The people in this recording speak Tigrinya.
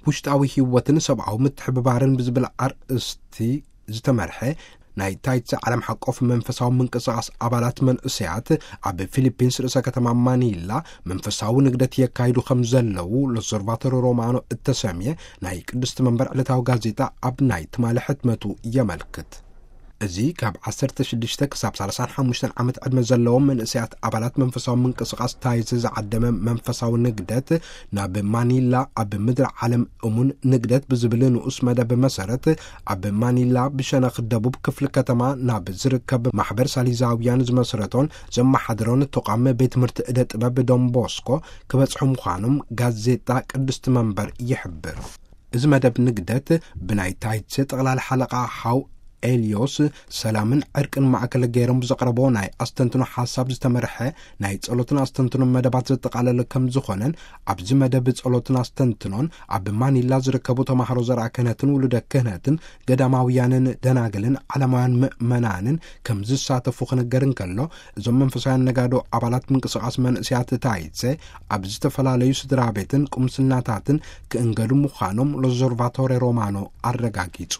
ውሽጣዊ ህይወትን ሰብኣዊ ምትሕብባርን ብዝብል ኣርእስቲ ዝተመርሐ ናይ ታይትሰ ዓለም ሓቆፍ መንፈሳዊ ምንቅስቓስ ኣባላት መንእሰያት ኣብ ፊሊፒንስ ርእሰ ከተማ ማኒላ መንፈሳዊ ንግደት የካይዱ ከም ዘለዉ ሎዞርቫቶሪ ሮማኖ እተሰምየ ናይ ቅድስቲ መንበር ዕለታዊ ጋዜጣ ኣብ ናይ ትማሊ ሕትመቱ የመልክት። እዚ ካብ ዓሰርተ ሽዱሽተ ክሳብ ሰላሳን ሓሙሽተን ዓመት ዕድመ ዘለዎም መንእሰያት ኣባላት መንፈሳዊ ምንቅስቓስ ታይዘ ዝዓደመ መንፈሳዊ ንግደት ናብ ማኒላ ኣብ ምድሪ ዓለም እሙን ንግደት ብዝብል ንኡስ መደብ መሰረት ኣብ ማኒላ ብሸነኽ ደቡብ ክፍሊ ከተማ ናብ ዝርከብ ማሕበር ሳሊዛውያን ዝመስረቶን ዘመሓድሮን ተቋም ቤት ትምህርቲ እደ ጥበብ ዶንቦስኮ ክበጽሑ ምዃኖም ጋዜጣ ቅድስቲ መንበር ይሕብር። እዚ መደብ ንግደት ብናይ ታይትሰ ጠቕላሊ ሓለቓ ሓው ኤልዮስ ሰላምን ዕርቅን ማእከል ገይሮም ብዘቕረቦ ናይ ኣስተንትኖ ሓሳብ ዝተመርሐ ናይ ጸሎትን ኣስተንትኖን መደባት ዘጠቓለለ ከም ዝኾነን፣ ኣብዚ መደብ ጸሎትን ኣስተንትኖን ኣብ ማኒላ ዝርከቡ ተማሃሮ ዘርኣ ክህነትን ውሉደ ክህነትን ገዳማውያንን ደናግልን ዓለማውያን ምእመናንን ከም ዝሳተፉ ክንገር እንከሎ፣ እዞም መንፈሳውያን ነጋዶ ኣባላት ምንቅስቓስ መንእሰያት ታይትሰ ኣብ ዝተፈላለዩ ስድራ ቤትን ቁምስናታትን ክእንገዱ ምዃኖም ሎዞርቫቶሬ ሮማኖ ኣረጋጊጹ።